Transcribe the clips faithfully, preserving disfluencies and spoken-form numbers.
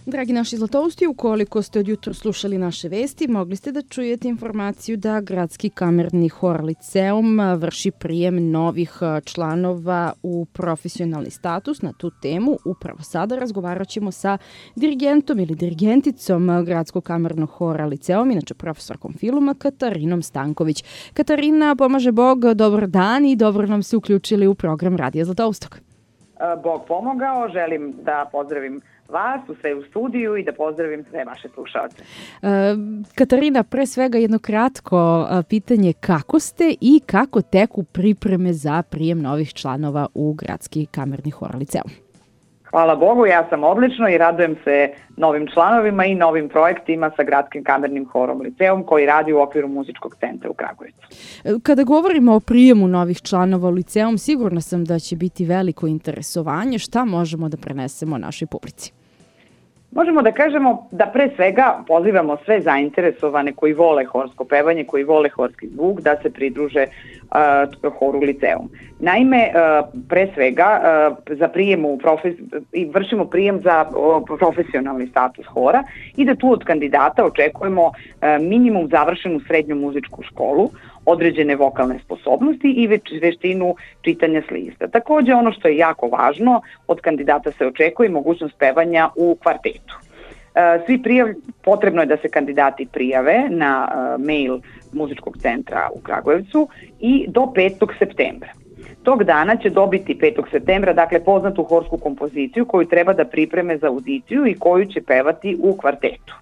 Dragi naši zlatousti, ukoliko ste od jutra slušali naše vesti, mogli ste da čujete informaciju da Gradski kamerni hor Liceum vrši prijem novih članova u profesionalni status. Na tu temu upravo sada razgovarat ćemo sa dirigentom ili dirigenticom Gradskog kamernog hora Liceum, inače profesorkom filma Katarinom Stanković. Katarina, pomaže Bog, dobar dan i dobro nam se uključili u program Radija Zlatoustok. Bog pomogao, želim da pozdravim vas u sve u studiju i da pozdravim sve vaše slušalce. E, Katarina, pre svega jedno kratko pitanje, kako ste i kako teku pripreme za prijem novih članova u Gradski kamerni hor Liceum? Hvala Bogu, ja sam odlično i radujem se novim članovima i novim projektima sa Gradskim kamernim horom Liceum koji radi u okviru muzičkog centra u Kragujevcu. Kada govorimo o prijemu novih članova u Liceum, sigurna sam da će biti veliko interesovanje. Šta možemo da prenesemo našoj publici? Možemo da kažemo da pre svega pozivamo sve zainteresovane koji vole horsko pevanje, koji vole horski zvuk, da se pridruže uh, horu Liceum. Naime, uh, pre svega uh, za prijem u profes... vršimo prijem za uh, profesionalni status hora i da tu od kandidata očekujemo uh, minimum završenu srednju muzičku školu, određene vokalne sposobnosti i veštinu čitanja s lista. Takođe, ono što je jako važno, od kandidata se očekuje mogućnost pevanja u kvartetu. Svi prijav, potrebno je da se kandidati prijave na mail muzičkog centra u Kragujevcu i do petog septembra. Tog dana će dobiti petog septembra, dakle, poznatu horsku kompoziciju koju treba da pripreme za audiciju i koju će pevati u kvartetu.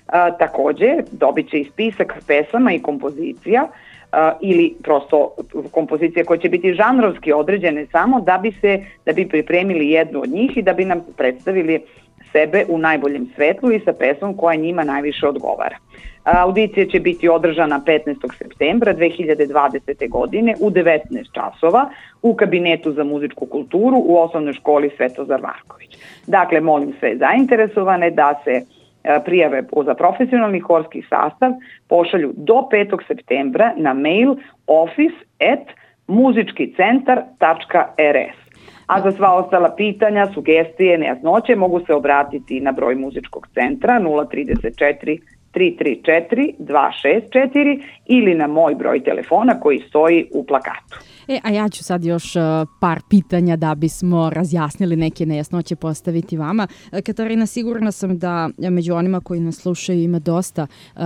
A, takođe, dobit će i spisak pesama i kompozicija Uh, ili prosto kompozicije koje će biti žanrovski određene samo da bi se da bi pripremili jednu od njih i da bi nam predstavili sebe u najboljem svetlu i sa pesmom koja njima najviše odgovara. Uh, audicija će biti održana petnaestog septembra dve hiljade dvadesete. godine u devetnaest časova u kabinetu za muzičku kulturu u osnovnoj školi Svetozar Marković. Dakle, molim sve zainteresovane da se prijave za profesionalni horski sastav pošalju do petog septembra na mail office at muzički centar tačka r s. A za sva ostala pitanja, sugestije, nejasnoće mogu se obratiti na broj muzičkog centra nula trideset četiri tri tri četiri dva šest četiri ili na moj broj telefona koji stoji u plakatu. E, a ja ću sad još uh, par pitanja da bismo razjasnili neke nejasnoće postaviti vama. Katarina, sigurna sam da među onima koji nas slušaju ima dosta uh,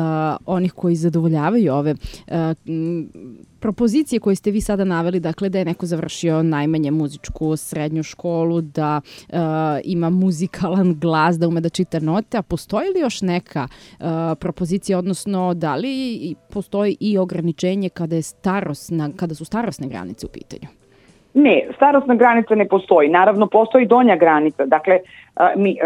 onih koji zadovoljavaju ove uh, propozicije koje ste vi sada naveli, dakle da je neko završio najmanje muzičku srednju školu, da uh, ima muzikalan glas, da ume da čita note, a postoji li još neka uh, propozicija, odnosno da li postoji i ograničenje kada je starosna, kada su starosne granice u pitanju? Ne, starosna granica ne postoji. Naravno, postoji donja granica. Dakle, mi,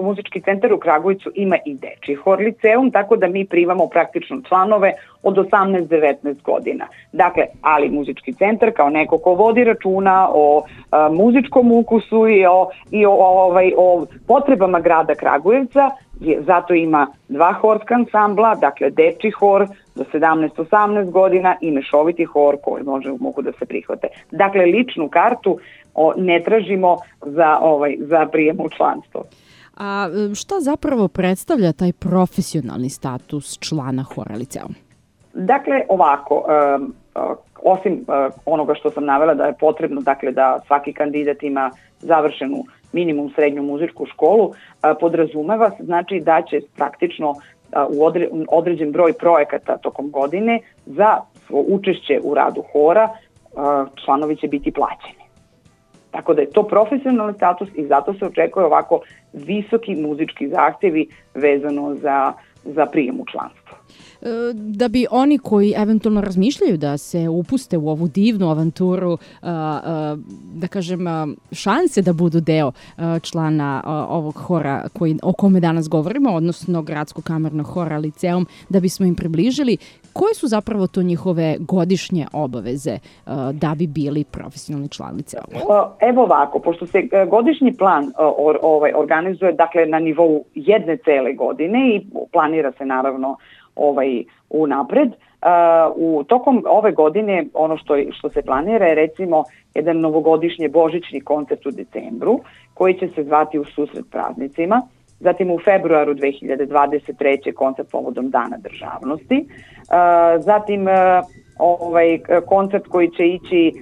muzički centar u Kragujevcu ima i dečiji hor Liceum, tako da mi primamo praktično članove od osamnaest do devetnaest godina. Dakle, ali muzički centar kao neko ko vodi računa o a, muzičkom ukusu i o, i o, ovaj, o potrebama grada Kragujevca, je, zato ima dva horska ansambla, dakle dečiji hor do sedamnaest osamnaest godina i mešoviti hor koji može, mogu da se prihvate. Dakle, ličnu kartu o, ne tražimo za, ovaj, za prijem u članstvo. A šta zapravo predstavlja taj profesionalni status člana hora Liceum? Dakle, ovako, um, osim uh, onoga što sam navela da je potrebno, dakle, da svaki kandidat ima završenu minimum srednju muzičku školu, uh, podrazumeva se, znači da će praktično uh, u odre, određen broj projekata tokom godine za učešće u radu hora uh, članovi će biti plaćeni. Tako da je to profesionalni status i zato se očekuje ovako visoki muzički zahtjevi vezano za, za prijem u članstvo. Da bi oni koji eventualno razmišljaju da se upuste u ovu divnu avanturu, da kažem, šanse da budu deo člana ovog hora koji, o kome danas govorimo, odnosno Gradskog kamernog hora Liceum, da bismo im približili koje su zapravo to njihove godišnje obaveze da bi bili profesionalni član Liceuma? Evo ovako, pošto se godišnji plan ovaj, organizuje dakle, na nivou jedne cele godine i planira se naravno ovaj unapred. Uh, u tokom ove godine ono što, što se planira je recimo jedan novogodišnji božićni koncert u decembru koji će se zvati U susret praznicima. zatim u februaru dve hiljade dvadeset treće. koncert povodom Dana državnosti, zatim ovaj koncert koji će ići,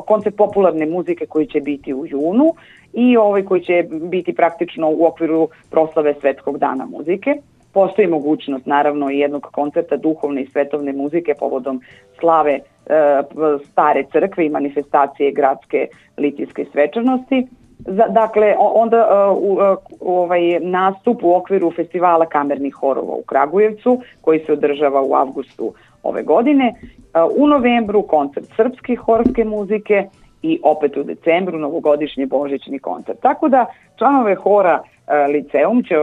koncert popularne muzike koji će biti u junu i ovaj koji će biti praktično u okviru proslave Svetskog dana muzike. Postoji mogućnost naravno i jednog koncerta duhovne i svetovne muzike povodom slave e, stare crkve i manifestacije gradske litijske svečanosti. Za, dakle, onda uh, uh, ovaj nastup u okviru festivala kamernih horova u Kragujevcu koji se održava u avgustu ove godine. Uh, u novembru koncert srpske horske muzike i opet u decembru novogodišnji božićni koncert. Tako da članove hora uh, Liceum će,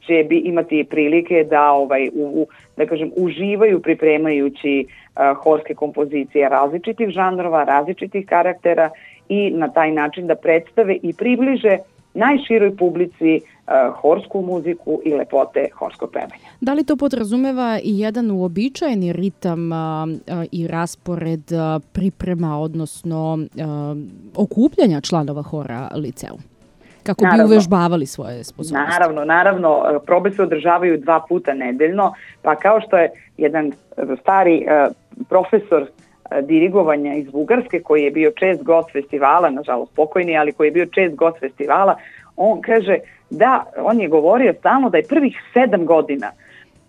će bi imati prilike da ovaj u, da kažem uživaju pripremajući uh, horske kompozicije različitih žanrova, različitih karaktera i na taj način da predstave i približe najširoj publici uh, horsku muziku i lepote horskog pevanja. Da li to podrazumeva i jedan uobičajeni ritam uh, uh, i raspored uh, priprema, odnosno uh, okupljanja članova hora Liceum? Kako naravno, bi uvežbavali svoje sposobnosti? Naravno, naravno. Probe se održavaju dva puta nedeljno, pa kao što je jedan stari uh, profesor dirigovanja iz Bugarske, koji je bio čest gost festivala, nažalost pokojni, ali koji je bio čest gost festivala, on kaže da, on je govorio stalno da je prvih sedam godina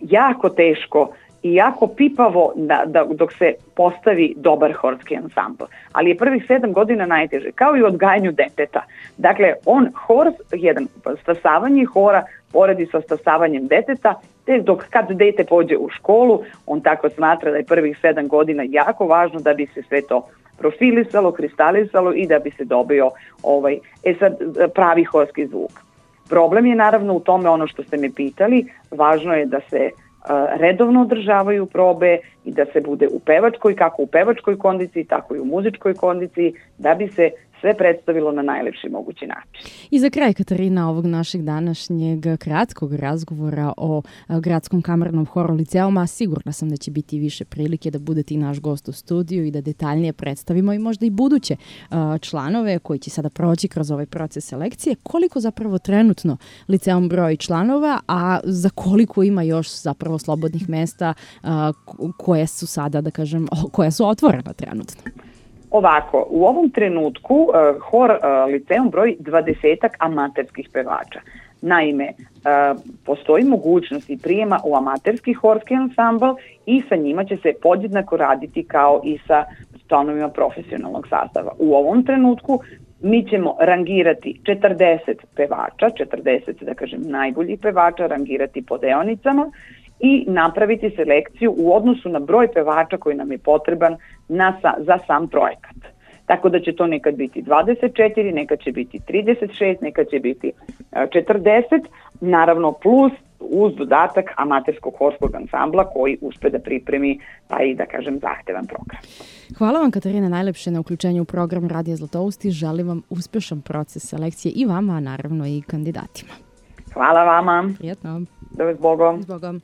jako teško i jako pipavo da, da, dok se postavi dobar horski ansambl. Ali je prvih sedam godina najteže, kao i u odgajanju deteta. Dakle, on hor, jedan stasavanje hora poredi sa stasavanjem deteta, te dok kad dete pođe u školu, on tako smatra da je prvih sedam godina jako važno da bi se sve to profilisalo, kristalisalo i da bi se dobio ovaj, e sad, pravi horski zvuk. Problem je naravno u tome ono što ste me pitali, važno je da se redovno održavaju probe i da se bude u pevačkoj, kako u pevačkoj kondiciji, tako i u muzičkoj kondiciji, da bi se sve predstavilo na najlepši mogući način. I za kraj, Katarina, ovog našeg današnjeg kratkog razgovora o Gradskom kamernom horu Liceuma, sigurna sam da će biti više prilike da budete i naš gost u studiju i da detaljnije predstavimo i možda i buduće članove koji će sada proći kroz ovaj proces selekcije. Koliko zapravo trenutno Liceum broji članova, a za koliko ima još zapravo slobodnih mesta koje su sada, da kažem, koja su otvorena trenutno? Ovako, u ovom trenutku uh, hor uh, Liceum broji dvadesetak amaterskih pevača. Naime, uh, postoji mogućnost i prijema u amaterski horski ansambl i sa njima će se podjednako raditi kao i sa članovima profesionalnog sastava. U ovom trenutku mi ćemo rangirati četrdeset pevača, četrdeset, da kažem, najboljih pevača, rangirati po deonicama i napraviti selekciju u odnosu na broj pevača koji nam je potreban na, za sam projekat. Tako da će to nekad biti dvadeset četiri, nekad će biti trideset šest, nekad će biti četrdeset, naravno plus uz dodatak amaterskog horskog ansambla koji uspe da pripremi taj, da kažem, zahtevan program. Hvala vam, Katarina, najlepše na uključenju u program Radija Zlatousti. Želim vam uspešan proces selekcije i vama, a naravno i kandidatima. Hvala vama. Prijetno. Da vas Bogom. S Bogom.